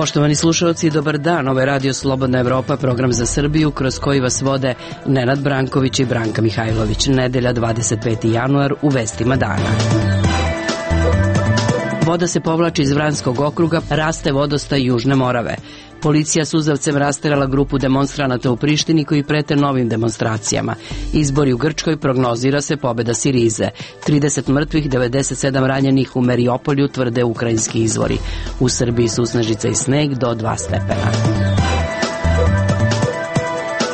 Poštovani slušalci, dobar dan. Ovo je Radio Slobodna Evropa, program za Srbiju, kroz koji vas vode Nenad Branković i Branka Mihajlović. Nedelja, 25. januar, u vestima dana. Voda se povlači iz Vranjskog okruga, raste vodostaj Južne Morave. Policija suzavcem rasterala grupu demonstranata u Prištini koji prete novim demonstracijama. Izbori u Grčkoj, prognozira se pobeda Sirize. 30 mrtvih, 97 ranjenih u Mariupolju, tvrde ukrajinski izvori. U Srbiji susnežica i sneg do 2 stepena.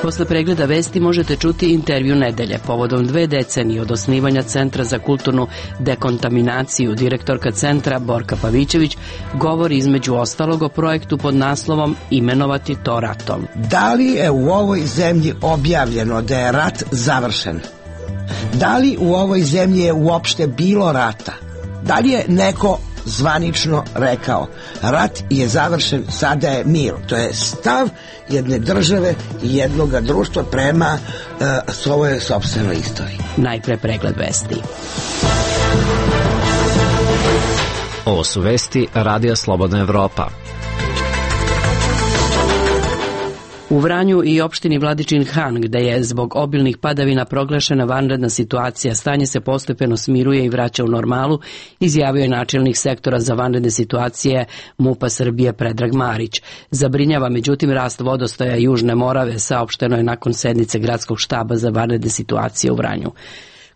Posle pregleda vesti možete čuti intervju nedelje. Povodom 2 decenije od osnivanja Centra za kulturnu dekontaminaciju, direktorka centra Borka Pavićević govori između ostalog o projektu pod naslovom Imenovati to ratom. Da li je u ovoj zemlji objavljeno da je rat završen? Da li u ovoj zemlji je uopšte bilo rata? Da li je neko zvanično rekao rat je završen, sada je mir? To je stav jedne države i jednoga društva prema svojoj sopstvenoj istoriji. Najpre pregled vesti. Ovo su vesti Radija Slobodna Evropa. U Vranju i opštini Vladičin Han, gde je zbog obilnih padavina proglašena vanredna situacija, stanje se postepeno smiruje i vraća u normalu, izjavio je načelnik sektora za vanredne situacije MUP-a Srbije Predrag Marić. Zabrinjava međutim rast vodostaja Južne Morave, saopšteno je nakon sednice gradskog štaba za vanredne situacije u Vranju.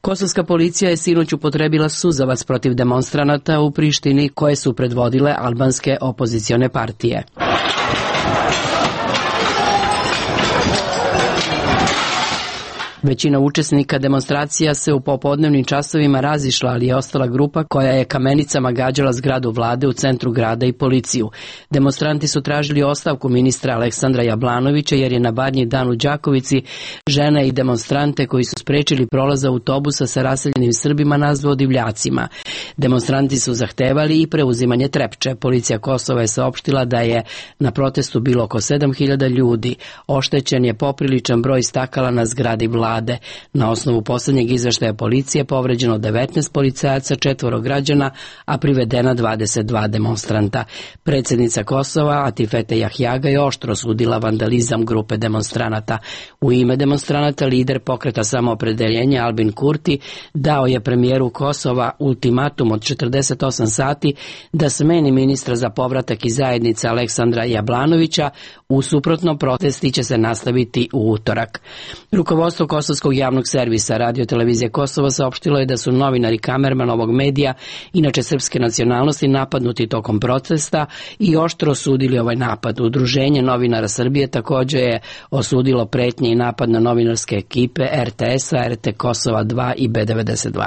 Kosovska policija je sinoć upotrebila suzavac protiv demonstranata u Prištini koje su predvodile albanske opozicione partije. Većina učesnika demonstracija se u popodnevnim časovima razišla, ali je ostala grupa koja je kamenicama gađala zgradu vlade u centru grada i policiju. Demonstranti su tražili ostavku ministra Aleksandra Jablanovića jer je na Badnji dan u Đakovici žene i demonstrante koji su sprečili prolaz autobusa sa raseljenim Srbima nazvao divljacima. Demonstranti su zahtevali i preuzimanje Trepče. Policija Kosova je saopštila da je na protestu bilo oko 7.000 ljudi. Oštećen je popriličan broj stakala na zgradi vlade. Na osnovu poslednjeg izveštaja policije povređeno 19 policajaca, 4 građana, a privedena 22 demonstranta. Predsjednica Kosova Atifete Jahjaga je oštro osudila vandalizam grupe demonstranata. U ime demonstranata lider pokreta Samoopredeljenja Albin Kurti dao je premijeru Kosova ultimatum od 48 sati da smeni ministra za povratak iz zajednice Aleksandra Jablanovića, u suprotno protesti će se nastaviti u utorak. Rukovodstvo Kosovskog javnog servisa Radio televizije Kosovo saopštilo je da su novinari kamerman ovog medija, inače srpske nacionalnosti, napadnuti tokom protesta i oštro osudili ovaj napad. Udruženje novinara Srbije također je osudilo pretnje i napad na novinarske ekipe RTS-a, RT Kosova 2 i B92.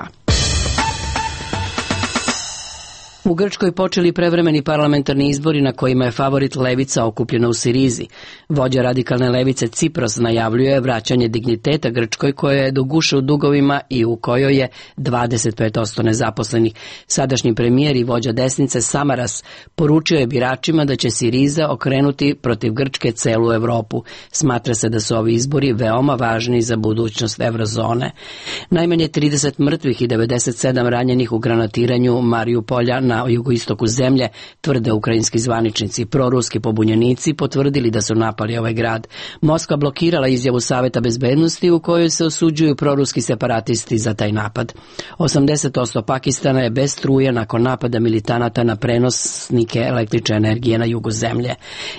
U Grčkoj počeli prevremeni parlamentarni izbori na kojima je favorit levica okupljena u Sirizi. Vođa radikalne levice Cipros najavljuje vraćanje digniteta Grčkoj koja je do guše u dugovima i u kojoj je 25% nezaposlenih. Sadašnji premijer i vođa desnice Samaras poručio je biračima da će Siriza okrenuti protiv Grčke celu Evropu. Smatra se da su ovi izbori veoma važni za budućnost eurozone. Najmanje 30 mrtvih i 97 ranjenih u granatiranju Mariupolja na jugoistoku zemlje, tvrde ukrajinski zvaničnici. Proruski pobunjenici potvrdili da su napali ovaj grad. Moskva blokirala izjavu Saveta bezbednosti u kojoj se osuđuju proruski separatisti za taj napad. 80% Pakistana je bez struje nakon napada militanata na prenosnike električne energije na jugu zemlje.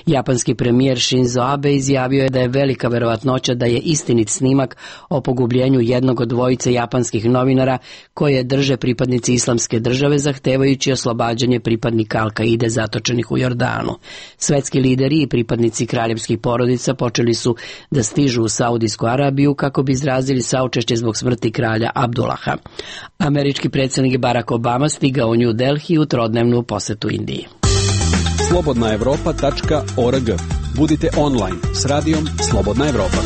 Japanski premijer Shinzo Abe izjavio je da je velika verovatnoća da je istinit snimak o pogubljenju jednog od dvojice japanskih novinara koje drže pripadnici Islamske države, zahtevajući oslobađanje pripadnika Al-Kaide zatočenih u Jordanu. Svetski lideri i pripadnici kraljevskih porodica počeli su da stižu u Saudijsku Arabiju kako bi izrazili saučešće zbog smrti kralja Abdullaha. Američki predsjednik Barack Obama stigao u New Delhi u trodnevnu posetu Indiji. slobodnaevropa.org. Budite online s radijom Slobodna Evropa.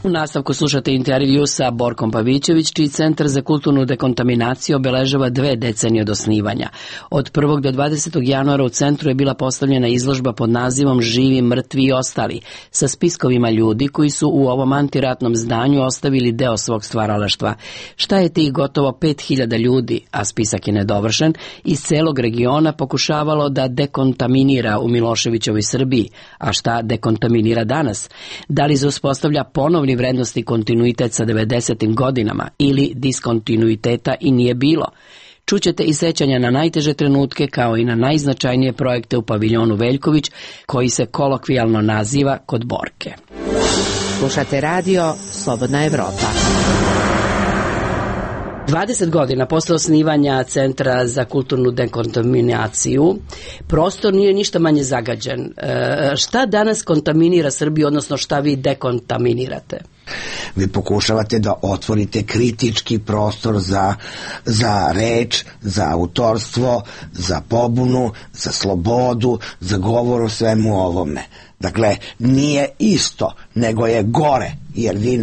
U nastavku slušate intervju sa Borkom Pavićević, čiji Centar za kulturnu dekontaminaciju obeležava 2 decenije od osnivanja. Od 1. do 20. januara u centru je bila postavljena izložba pod nazivom Živi, mrtvi i ostali, sa spiskovima ljudi koji su u ovom antiratnom zdanju ostavili deo svog stvaralaštva. Šta je tih gotovo 5000 ljudi, a spisak je nedovršen, iz celog regiona pokušavalo da dekontaminira u Miloševićevoj Srbiji, a šta dekontaminira danas? Da li se uspostavlja ponovni vrednosti kontinuitet sa 90. godinama ili diskontinuiteta i nije bilo? Čućete i sećanja na najteže trenutke kao i na najznačajnije projekte u paviljonu Veljković, koji se kolokvijalno naziva Kod Borke. Slušate radio Slobodna Evropa. 20 godina posle osnivanja Centra za kulturnu dekontaminaciju, prostor nije ništa manje zagađen. Šta danas kontaminira Srbiju, odnosno šta vi dekontaminirate? Vi pokušavate da otvorite kritički prostor za reč, za autorstvo, za pobunu, za slobodu, za govor o svemu ovome. Dakle, nije isto, nego je gore, jer vi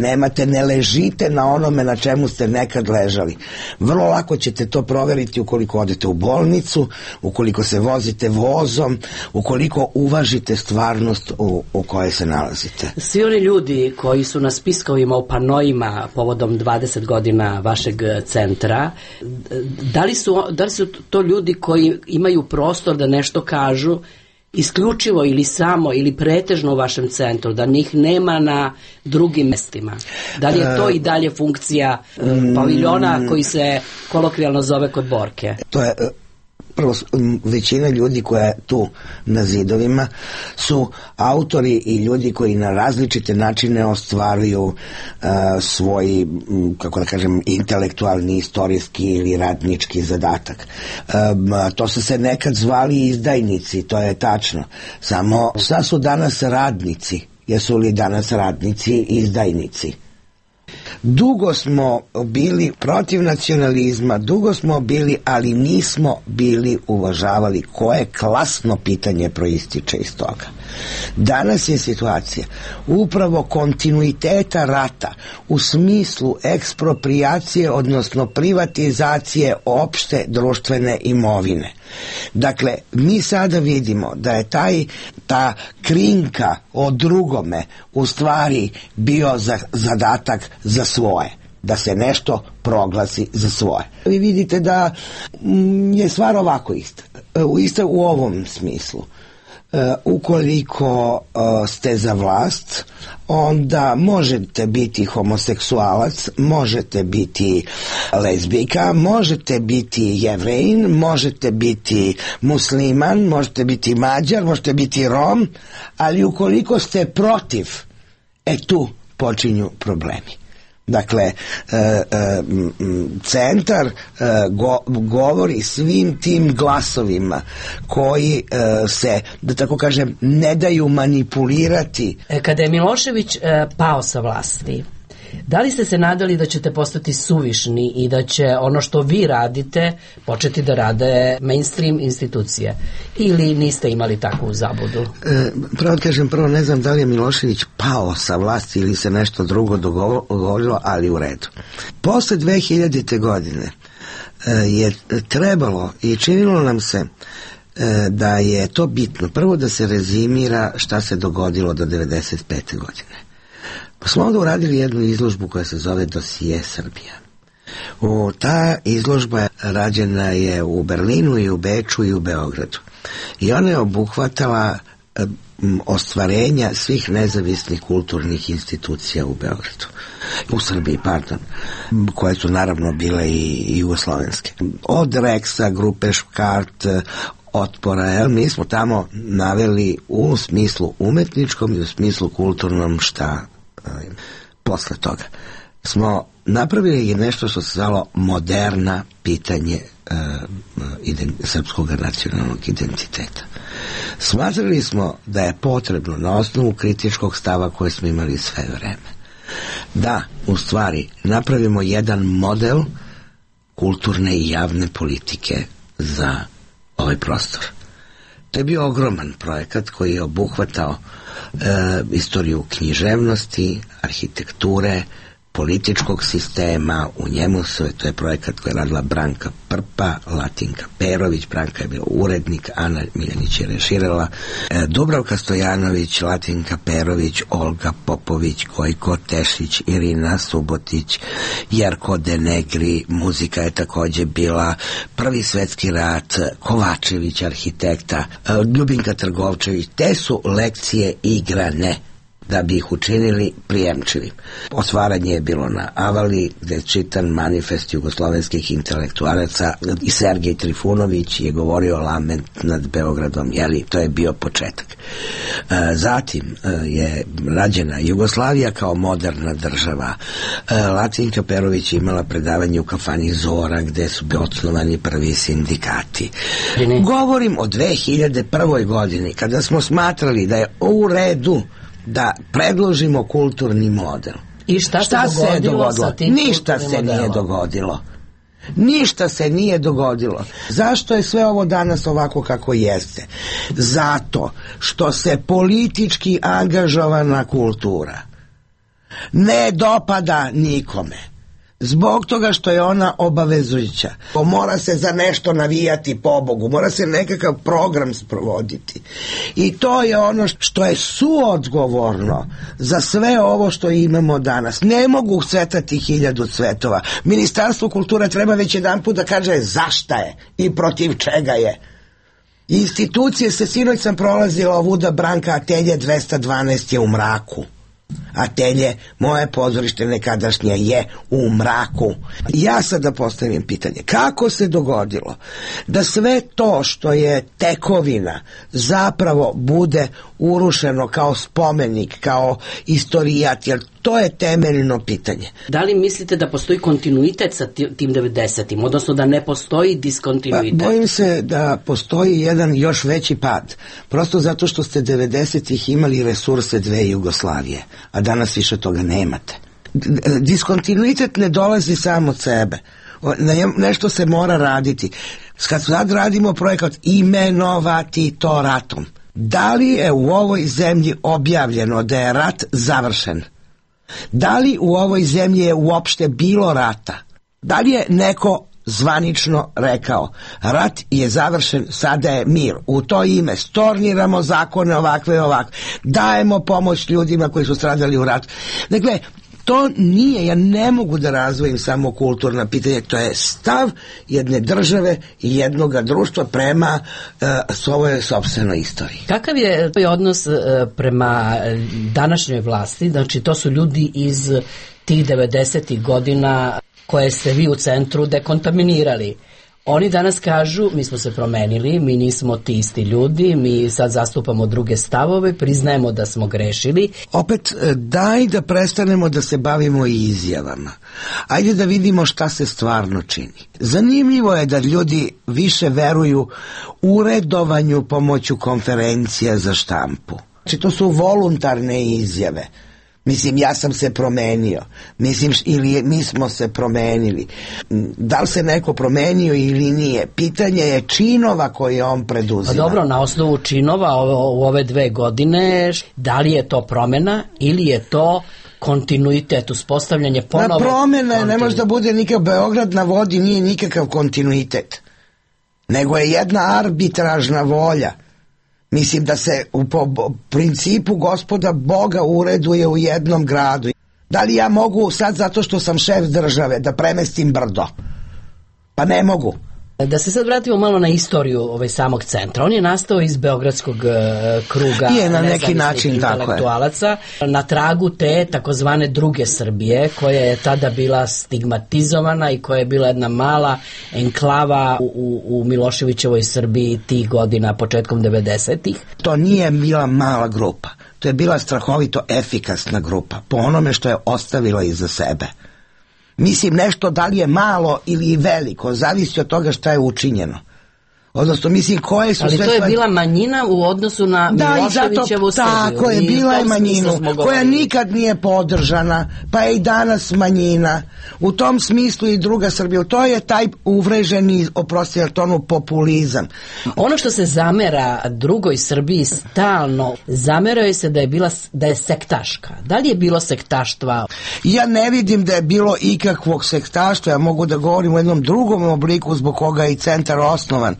ne ležite na onome na čemu ste nekad ležali. Vrlo lako ćete to proveriti ukoliko odete u bolnicu, ukoliko se vozite vozom, ukoliko uvažite stvarnost u kojoj se nalazite. Svi oni ljudi koji su na spiskovima u panojima povodom 20 godina vašeg centra, da li su to ljudi koji imaju prostor da nešto kažu isključivo ili samo ili pretežno u vašem centru, da njih nema na drugim mestima? Da li je to i dalje funkcija paviljona koji se kolokvijalno zove Kod Borke? To je prvo, većina ljudi koja je tu na zidovima su autori i ljudi koji na različite načine ostvaruju svoj, kako da kažem, intelektualni, istorijski ili radnički zadatak. To su se nekad zvali izdajnici, to je tačno. Samo sad su danas radnici. Jesu li danas radnici i izdajnici? Dugo smo bili protiv nacionalizma, dugo smo bili, ali nismo bili uvažavali koje klasno pitanje proističe iz toga. Danas je situacija upravo kontinuiteta rata u smislu eksproprijacije, odnosno privatizacije opšte društvene imovine. Dakle, mi sada vidimo da je ta krinka o drugome u stvari bio zadatak za svoje, da se nešto proglasi za svoje. Vi vidite da je stvar ovako ista u ovom smislu. Ukoliko ste za vlast, onda možete biti homoseksualac, možete biti lezbijka, možete biti Jevrejin, možete biti musliman, možete biti Mađar, možete biti Rom, ali ukoliko ste protiv, tu počinju problemi. Dakle, centar govori svim tim glasovima koji se, da tako kažem, ne daju manipulirati. Kada je Milošević pao sa vlasti, da li ste se nadali da ćete postati suvišni i da će ono što vi radite početi da rade mainstream institucije? Ili niste imali takvu zabudu? Pravo kažem, ne znam da li je Milošević pao sa vlasti ili se nešto drugo dogodilo, ali u redu. Posle 2000. godine je trebalo i činilo nam se da je to bitno. Prvo da se rezimira šta se dogodilo do 95. godine. Pa smo onda uradili jednu izložbu koja se zove Dosije Srbija. Ta izložba rađena je u Berlinu i u Beču i u Beogradu. I ona je obuhvatala ostvarenja svih nezavisnih kulturnih institucija u Beogradu. U Srbiji, koje su naravno bile i jugoslovenske. Od Reksa, grupe Škart, Otpora, mi smo tamo naveli u smislu umetničkom i u smislu kulturnom šta. Posle toga smo napravili nešto što se zvalo moderna pitanje srpskog nacionalnog identiteta. Smatrali smo da je potrebno na osnovu kritičkog stava koje smo imali sve vreme da u stvari napravimo jedan model kulturne i javne politike za ovaj prostor. To je bio ogroman projekat koji je obuhvatao istoriju književnosti, arhitekture, političkog sistema. U njemu to je projekat koji je radila Branka Prpa, Latinka Perović, Branka je bila urednik, Ana Miljanić je reširala, Dubravka Stojanović, Latinka Perović, Olga Popović, Gojko Tešić, Irina Subotić, Jerko Denegri, muzika je takođe bila, Prvi svetski rat, Kovačević, arhitekta, Ljubinka Trgovčević. Te su lekcije igrane da bi ih učinili prijemčivim. Osvaranje je bilo na Avali, gde je čitan manifest jugoslovenskih intelektualaca i Sergej Trifunović je govorio lament nad Beogradom, jeli, to je bio početak. Zatim je rađena Jugoslavija kao moderna država. Latinka Perović je imala predavanje u kafani Zora, gde su osnovani prvi sindikati. Govorim o 2001. godini, kada smo smatrali da je u redu da predložimo kulturni model. I šta se je dogodilo? Ništa se nije dogodilo. Ništa se nije dogodilo. Zašto je sve ovo danas ovako kako jeste? Zato što se politički angažovana kultura ne dopada nikome. Zbog toga što je ona obavezujuća. Mora se za nešto navijati, pobogu, mora se nekakav program sprovoditi. I to je ono što je suodgovorno za sve ovo što imamo danas. Ne mogu cvetati 1000 cvetova. Ministarstvo kulture treba već jedanput da kaže zašta je i protiv čega je. Institucije se, sinoć sam prolazila ovuda Branka Atelje 212 je u mraku. Atelje, moje pozorište nekadašnje je u mraku. Ja sad da postavim pitanje, kako se dogodilo da sve to što je tekovina zapravo bude urušeno kao spomenik, kao istorijat, jer to je temeljno pitanje. Da li mislite da postoji kontinuitet sa tim 90-im, odnosno da ne postoji diskontinuitet? Pa, bojim se da postoji jedan još veći pad, prosto zato što ste 90-ih imali resurse dve Jugoslavije, a danas više toga nemate. Diskontinuitet ne dolazi samo od sebe. Nešto se mora raditi. Kad sad radimo projekat imenovati to ratom, da li je u ovoj zemlji objavljeno da je rat završen? Da li u ovoj zemlji je uopšte bilo rata? Da li je neko zvanično rekao rat je završen, sada je mir? U to ime storniramo zakone ovakve i ovakve, dajemo pomoć ljudima koji su stradali u ratu. Dakle, to nije, ja ne mogu da razvojim samo kulturna pitanja, to je stav jedne države i jednoga društva prema svojoj sopstvenoj istoriji. Kakav je odnos prema današnjoj vlasti? Znači, to su ljudi iz tih 90-ih godina koje ste vi u centru dekontaminirali. Oni danas kažu, mi smo se promenili, mi nismo ti isti ljudi, mi sad zastupamo druge stavove, priznajemo da smo grešili. Opet, daj da prestanemo da se bavimo izjavama. Ajde da vidimo šta se stvarno čini. Zanimljivo je da ljudi više veruju uredovanju pomoću konferencija za štampu. Znači, to su voluntarne izjave. Mislim, ja sam se promenio. Mislim, ili mi smo se promenili. Da li se neko promenio ili nije? Pitanje je činova koje on preduzima. Pa dobro, na osnovu činova u ove 2 godine, da li je to promena ili je to kontinuitet, uspostavljanje ponovo? Promena ne može da bude nikakav, Beograd na vodi nije nikakav kontinuitet. Nego je jedna arbitražna volja. Mislim da se po principu gospoda Boga ureduje u jednom gradu. Da li ja mogu sad zato što sam šef države da premestim brdo? Pa ne mogu. Da se sad vratimo malo na istoriju samog centra. On je nastao iz beogradskog kruga na neki način intelektualaca, na tragu te takozvane druge Srbije, koja je tada bila stigmatizovana i koja je bila jedna mala enklava u Miloševićevoj Srbiji tih godina, početkom 90-ih. To nije bila mala grupa. To je bila strahovito efikasna grupa, po onome što je ostavila iza sebe. Mislim, nešto da li je malo ili veliko, zavisi od toga šta je učinjeno. Odnosno, mislim, koje su ali sve... Ali to je bila manjina u odnosu na Miloševićevu Srbiju. Tako je, bila je manjinu koja nikad nije podržana, pa je i danas manjina. U tom smislu i druga Srbija. To je taj uvreženi, oprosti tonu, populizam. Ono što se zamera drugoj Srbiji stalno, zameraju se da je sektaška. Da li je bilo sektaštva? Ja ne vidim da je bilo ikakvog sektaštva. Ja mogu da govorim u jednom drugom obliku zbog koga je i centar osnovan.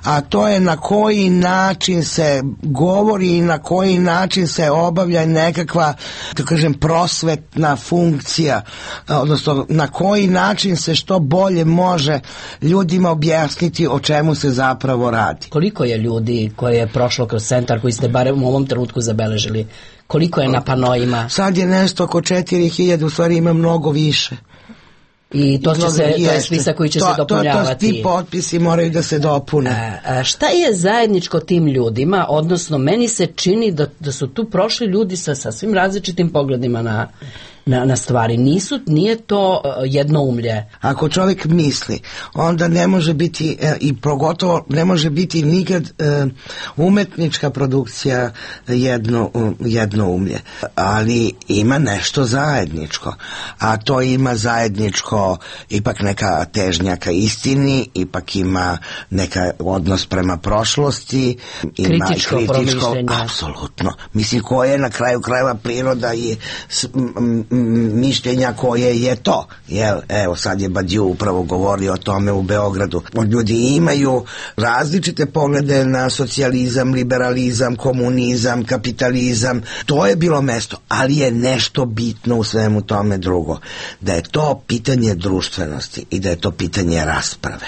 A to je na koji način se govori i na koji način se obavlja nekakva, da kažem, prosvetna funkcija, odnosno na koji način se što bolje može ljudima objasniti o čemu se zapravo radi. Koliko je ljudi koje je prošlo kroz centar, koji ste barem u ovom trenutku zabeležili? Koliko je na panojima? Sad je nešto oko 4000, u stvari ima mnogo više. I to je spisak koji će se dopunjavati. Ti potpisi moraju da se dopune. Šta je zajedničko tim ljudima, odnosno meni se čini da su tu prošli ljudi sa sasvim različitim pogledima na stvari. Nije to jednoumlje. Ako čovjek misli, onda ne može biti i pogotovo ne može biti nikad umetnička produkcija jednoumlje. Ali ima nešto zajedničko. A to ima zajedničko ipak neka težnja ka istini, ipak ima neka odnos prema prošlosti, ima kritičko promišljenje. Apsolutno. Mislim, koje je na kraju krajeva priroda i mišljenja koje je to. Evo, sad je Badiou upravo govorio o tome u Beogradu. Ljudi imaju različite poglede na socijalizam, liberalizam, komunizam, kapitalizam. To je bilo mesto, ali je nešto bitno u svemu tome drugo. Da je to pitanje društvenosti i da je to pitanje rasprave.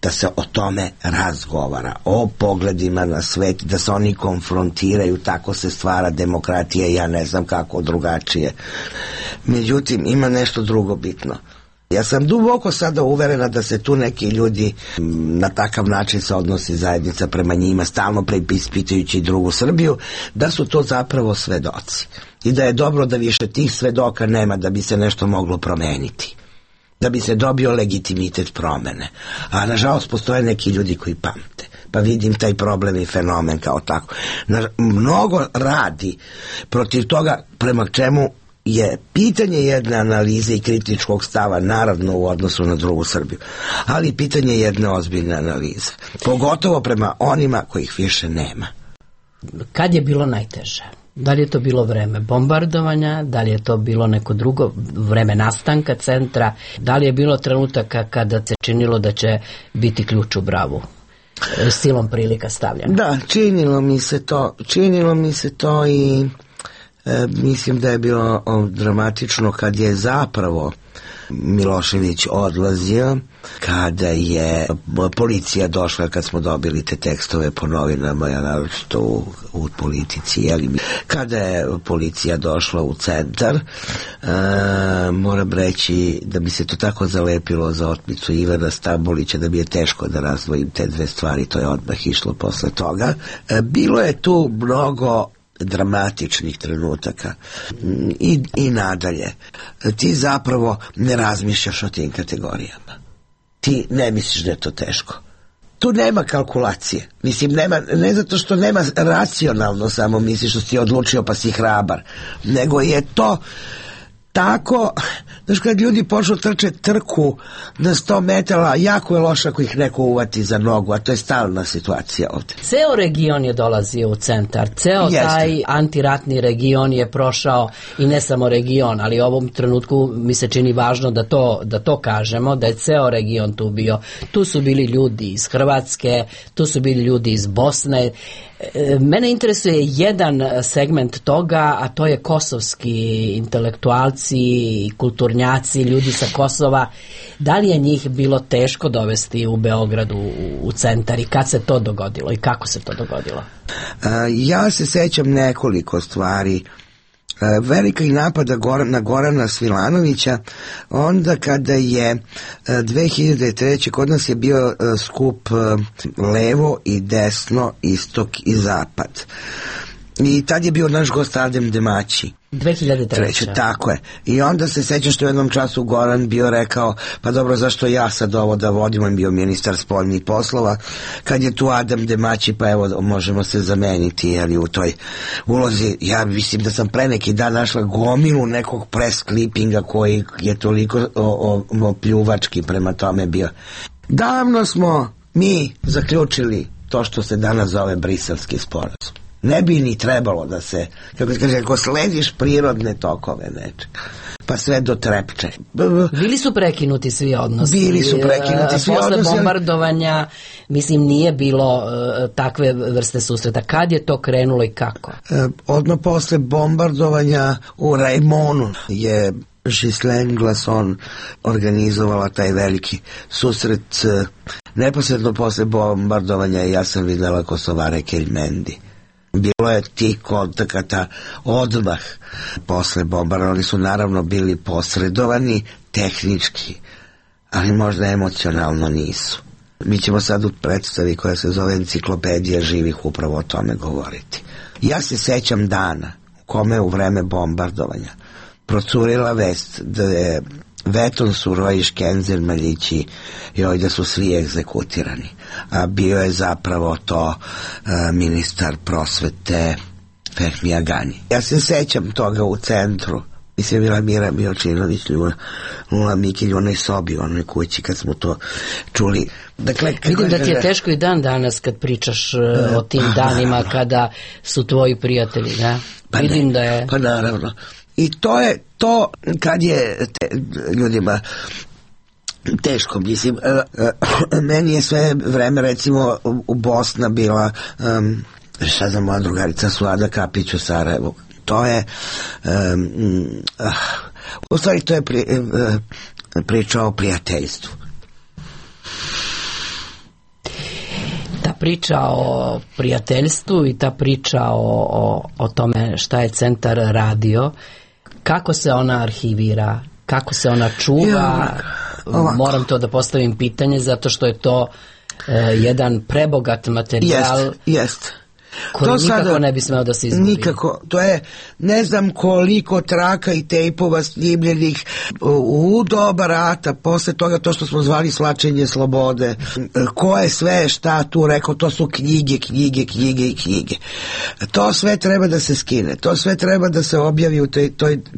Da se o tome razgovara, o pogledima na svet, da se oni konfrontiraju, tako se stvara demokratija, ja ne znam kako drugačije. Međutim, ima nešto drugo bitno. Ja sam duboko sada uverena da se tu neki ljudi na takav način se odnosi zajednica prema njima, stalno preispitujući drugu Srbiju, da su to zapravo svedoci. I da je dobro da više tih svedoka nema da bi se nešto moglo promeniti, da bi se dobio legitimitet promene. A nažalost postoje neki ljudi koji pamte. Pa vidim taj problem i fenomen kao tako. Mnogo radi protiv toga prema čemu je pitanje jedne analize i kritičkog stava, naravno u odnosu na drugu Srbiju, ali pitanje jedne ozbiljne analize. Pogotovo prema onima kojih više nema. Kad je bilo najteže? Da li je to bilo vreme bombardovanja, da li je to bilo neko drugo vreme nastanka centra, da li je bilo trenutaka kada se činilo da će biti ključ u bravu, silom prilika stavljeno? Da, činilo mi se to i mislim da je bilo dramatično kad je zapravo Milošević odlazio, kada je policija došla, kad smo dobili te tekstove po novinama, ja naročito u Politici, kada je policija došla u centar, moram reći da bi se to tako zalepilo za otmicu Ivana Stambolića da bi je teško da razdvojim te dve stvari, to je odmah išlo posle toga. Bilo je tu mnogo dramatičnih trenutaka i nadalje. Ti zapravo ne razmišljaš o tim kategorijama. Ti ne misliš da je to teško. Tu nema kalkulacije. Mislim, ne zato što nema racionalno samo misliš što si odlučio pa si hrabar, nego je to tako, znaš, kad ljudi počnu trče trku na 100 metara, jako je loše ako ih neko uvati za nogu, a to je stalna situacija ovdje. Ceo region je dolazio u centar, taj antiratni region je prošao, i ne samo region, ali u ovom trenutku mi se čini važno da to kažemo, da je ceo region tu bio. Tu su bili ljudi iz Hrvatske, tu su bili ljudi iz Bosne. Mene interesuje jedan segment toga, a to je kosovski intelektualci i kulturnjaci, ljudi sa Kosova. Da li je njih bilo teško dovesti u Beogradu u centar i kad se to dogodilo i kako se to dogodilo? Ja se sećam nekoliko stvari. Velika i napada na Gorana Svilanovića, onda kada je 2003. kod nas je bio skup levo i desno, istok i zapad. I tad je bio naš gost Adem Demaći. 2003. Tako je. I onda se sećam što u jednom času Goran bio rekao, pa dobro, zašto ja sad ovo da vodim, on bio ministar spoljnih poslova, kad je tu Adem Demaći, pa evo, možemo se zameniti, ali u toj ulozi, ja mislim da sam pre neki dan našla gomilu nekog press clippinga koji je toliko pljuvački prema tome bio. Davno smo mi zaključili to što se danas zove Briselski sporazum. Ne bi ni trebalo da se, kako se kaže, ako slediš prirodne tokove nečega, pa sve do Trepče. Bili su prekinuti svi odnosi. Bili su prekinuti svi odnosi. Posle bombardovanja, mislim, nije bilo takve vrste susreta. Kad je to krenulo i kako? Odmah posle bombardovanja u Rajmonu je Ghislaine Glasson organizovala taj veliki susret. Neposredno posle bombardovanja ja sam videla Kosovare Kelmendi. Bilo je tih kontakata odmah posle bombardovanja. Oni su naravno bili posredovani tehnički, ali možda emocionalno nisu. Mi ćemo sad u predstavi koja se zove Enciklopedija živih upravo o tome govoriti. Ja se sećam dana u kome u vreme bombardovanja procurila vest da je Veton Surojiš, Kenzer Maljići i da su svi egzekutirani. A bio je zapravo to ministar prosvete Fehmi Agani. Ja se sećam toga u centru. Mislim, bila Mira Miočinović, Lula Mikilj u onoj sobi, u onoj kući kad smo to čuli. Dakle, vidim da ti je teško i dan danas kad pričaš o tim danima kada su tvoji prijatelji, da? Pa vidim ne, da je... Pa naravno. I to je to kad je ljudima teško, mislim, meni je sve vreme, recimo, u Bosna bila, šta znam, moja drugarica Suada Kapić u Sarajevu. To je, u stvari to je priča o prijateljstvu. Ta priča o prijateljstvu i ta priča o tome šta je centar radio, kako se ona arhivira, kako se ona čuva, moram to da postavim pitanje, zato što je to jedan prebogat materijal. Jest. Koji to nikako sada ne bi smeo da se izgubi. Nikako. To je, ne znam koliko traka i tejpova snimljenih u doba rata, posle toga to što smo zvali svlačenje slobode. Ko je sve šta tu rekao, to su knjige. To sve treba da se skine. To sve treba da se objavi u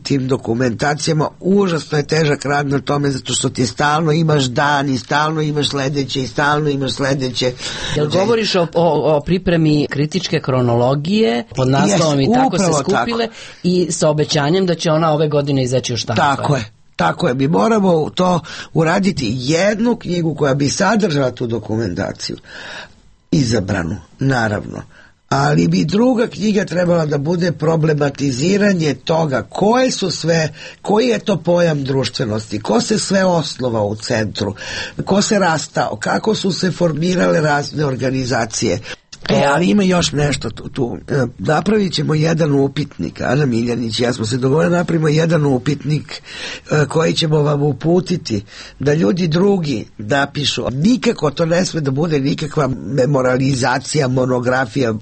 tim dokumentacijama. Užasno je težak rad na tome, zato što ti stalno imaš dan i stalno imaš sledeće i stalno imaš sledeće. Jel govoriš o pripremi kritičke kronologije pod naslovom i tako se skupile tako. I sa obećanjem da će ona ove godine izaći u štampu. Tako je, mi moramo to uraditi, jednu knjigu koja bi sadržala tu dokumentaciju, izabranu, naravno, ali bi druga knjiga trebala da bude problematiziranje toga koji je to pojam društvenosti, ko se sve osnova u centru, ko se rastao, kako su se formirale razne organizacije. Ali ima još nešto tu. Napravit ćemo jedan upitnik, Ana Miljanić i ja smo se dogovorili, napravimo jedan upitnik koji ćemo vam uputiti da ljudi drugi napišu. Nikako to ne sme da bude nikakva memorializacija, monografija,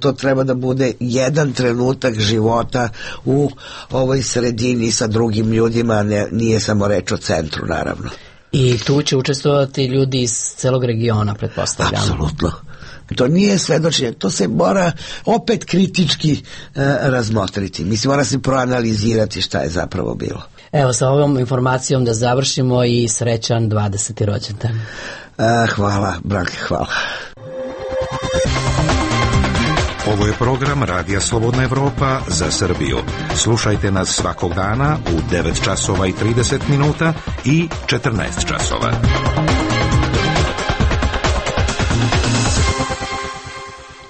to treba da bude jedan trenutak života u ovoj sredini sa drugim ljudima, nije samo reč o centru, naravno. I tu će učestvovati ljudi iz celog regiona, pretpostavljam. Apsolutno. To nije svedočenje, to se mora opet kritički razmotriti. Mislim, mora se proanalizirati šta je zapravo bilo. Evo, sa ovom informacijom da završimo i srećan 20. rođendan. Hvala, Branka, hvala. Ovo je program Radija Slobodna Evropa za Srbiju. Slušajte nas svakog dana u 9 časova i 30 minuta i 14 časova.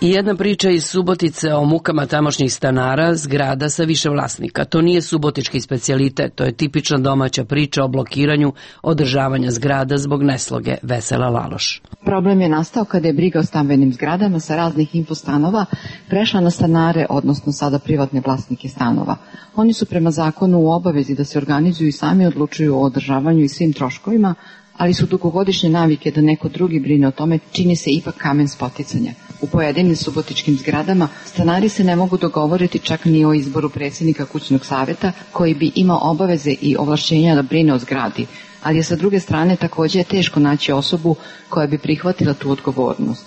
I jedna priča iz Subotice o mukama tamošnjih stanara, zgrada sa više vlasnika. To nije subotički specijalitet, to je tipična domaća priča o blokiranju održavanja zgrada zbog nesloge. Vesela Laloš. Problem je nastao kada je briga o stambenim zgradama sa raznih infostanova prešla na stanare, odnosno sada privatne vlasnike stanova. Oni su prema zakonu u obavezi da se organizuju i sami odlučuju o održavanju i svim troškovima, ali su dugogodišnje navike da neko drugi brine o tome čini se ipak kamen spoticanja. U pojedinim subotičkim zgradama stanari se ne mogu dogovoriti čak ni o izboru predsjednika kućnog savjeta koji bi imao obaveze i ovlašćenja da brine o zgradi, ali je sa druge strane također teško naći osobu koja bi prihvatila tu odgovornost.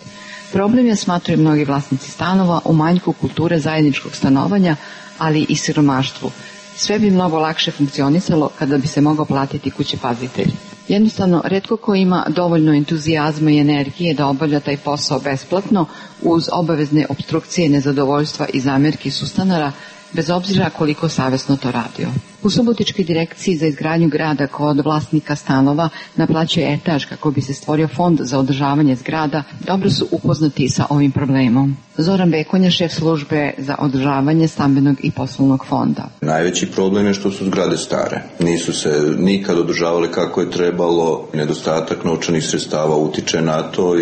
Problem je, smatraju mnogi vlasnici stanova, u manjku kulture zajedničkog stanovanja, ali i siromaštvu. Sve bi mnogo lakše funkcionisalo kada bi se mogao platiti kućepazitelj. Jednostavno, retko ko ima dovoljno entuzijazma i energije da obavlja taj posao besplatno uz obavezne opstrukcije, nezadovoljstva i zamjerki sustanara, bez obzira koliko savjesno to radio. U Subotičkoj direkciji za izgradnju grada kod vlasnika stanova naplaćuje etaž kako bi se stvorio fond za održavanje zgrada, dobro su upoznati sa ovim problemom. Zoran Bekonja, šef službe za održavanje stambenog i poslovnog fonda. Najveći problem je što su zgrade stare. Nisu se nikad održavale kako je trebalo, nedostatak novčanih sredstava utiče na to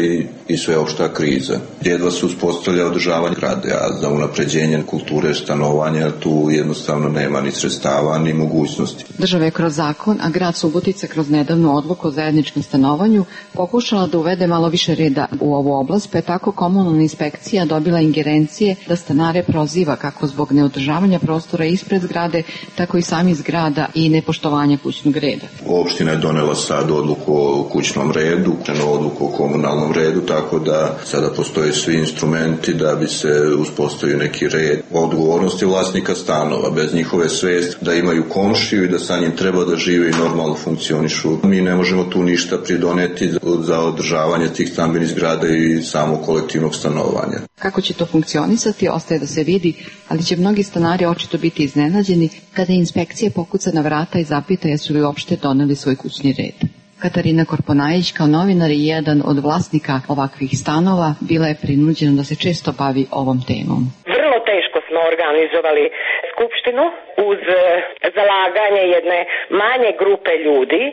i sveopšta kriza. Jedva se uspostavlja održavanje zgrade, a za unapređenje kulture stanovanja tu jednostavno nema ni sredstava ni mogućnosti. Država je kroz zakon, a grad Subotica kroz nedavnu odluku o zajedničkom stanovanju pokušala da uvede malo više reda u ovu oblast, pa je tako komunalna inspekcija dobila ingerencije da stanare proziva kako zbog neodržavanja prostora ispred zgrade, tako i sami zgrada i nepoštovanja kućnog reda. Opština je donela sad odluku o kućnom redu, odluku o komunalnom redu, tako da sada postoje svi instrumenti da bi se uspostavio neki red. Odgovornosti vlasnika stanova, bez njihove svesti da imaju komšiju i da sa njim treba da žive i normalno funkcionišu. Mi ne možemo tu ništa pridoneti za održavanje tih stambenih zgrada i samo kolektivnog stanovanja. Kako će to funkcionisati, ostaje da se vidi, ali će mnogi stanari očito biti iznenađeni kada inspekcija pokuca na vrata i zapita jesu li uopšte doneli svoj kućni red. Katarina Korponajić, kao novinar i jedan od vlasnika ovakvih stanova, bila je prinuđena da se često bavi ovom temom. Vrlo teško smo organizovali skupštinu uz zalaganje jedne manje grupe ljudi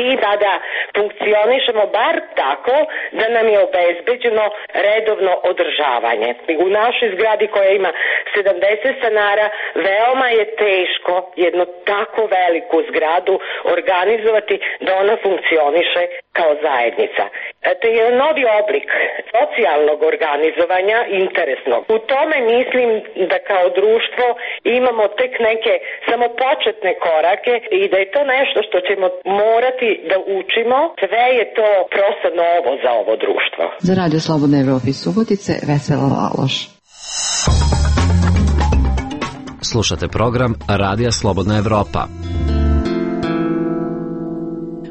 i da funkcionišemo bar tako da nam je obezbeđeno redovno održavanje. U našoj zgradi koja ima 70 stanara veoma je teško jednu tako veliku zgradu organizovati da ona funkcioniše kao zajednica. To je novi oblik socijalnog organizovanja, interesnog. U tome mislim da kao društvo imamo tek neke samo početne korake i da je to nešto što ćemo morati da učimo. Sve je to prosto novo za ovo društvo. Za Radio Slobodna Evropa iz Subotice, Vesela Laloš. Slušate program Radija Slobodna Evropa.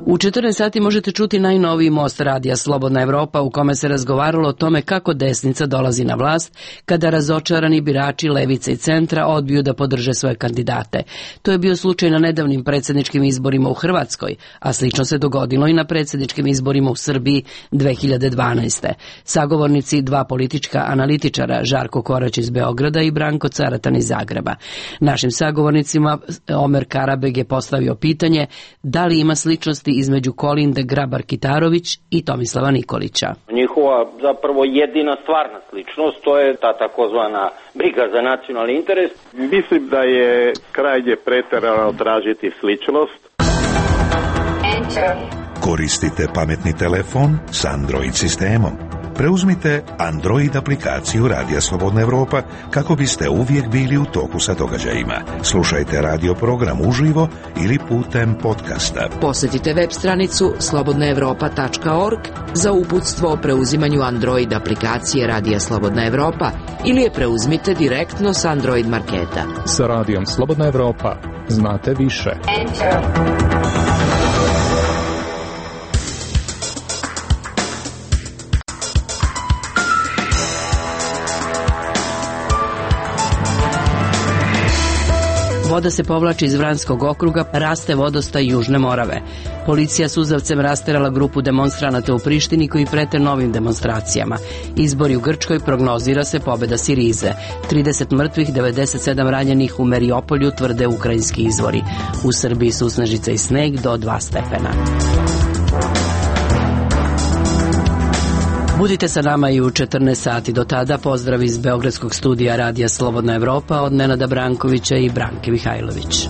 U 14 sati možete čuti najnoviji most Radija Slobodna Evropa u kome se razgovaralo o tome kako desnica dolazi na vlast kada razočarani birači levice i centra odbiju da podrže svoje kandidate. To je bio slučaj na nedavnim predsjedničkim izborima u Hrvatskoj, a slično se dogodilo i na predsjedničkim izborima u Srbiji 2012. Sagovornici dva politička analitičara, Žarko Korać iz Beograda i Branko Caratan iz Zagreba. Našim sagovornicima Omer Karabeg je postavio pitanje da li ima sličnosti između Kolinde Grabar-Kitarović i Tomislava Nikolića. Njihova zapravo jedina stvarna sličnost, to je ta takozvana briga za nacionalni interes. Mislim da je krajnje preterano tražiti sličnost. Koristite pametni telefon s Android sistemom. Preuzmite Android aplikaciju Radija Slobodna Evropa kako biste uvijek bili u toku sa događajima. Slušajte radio program uživo ili putem podcasta. Posjetite web stranicu slobodnaevropa.org za uputstvo o preuzimanju Android aplikacije Radija Slobodna Evropa ili je preuzmite direktno s Android marketa. Sa Radijom Slobodna Evropa znate više. Voda se povlači iz Vranskog okruga, raste vodostaj Južne Morave. Policija suzavcem rasterala grupu demonstranata u Prištini koji prete novim demonstracijama. Izbori u Grčkoj, prognozira se pobjeda Sirize. 30 mrtvih, 97 ranjenih u Meriopolju, tvrde ukrajinski izvori. U Srbiji susnežica i sneg do 2 stepena. Budite sa nama i u 14 sati. Do tada pozdrav iz Beogradskog studija Radija Slobodna Evropa od Nenada Brankovića i Branke Mihajlović.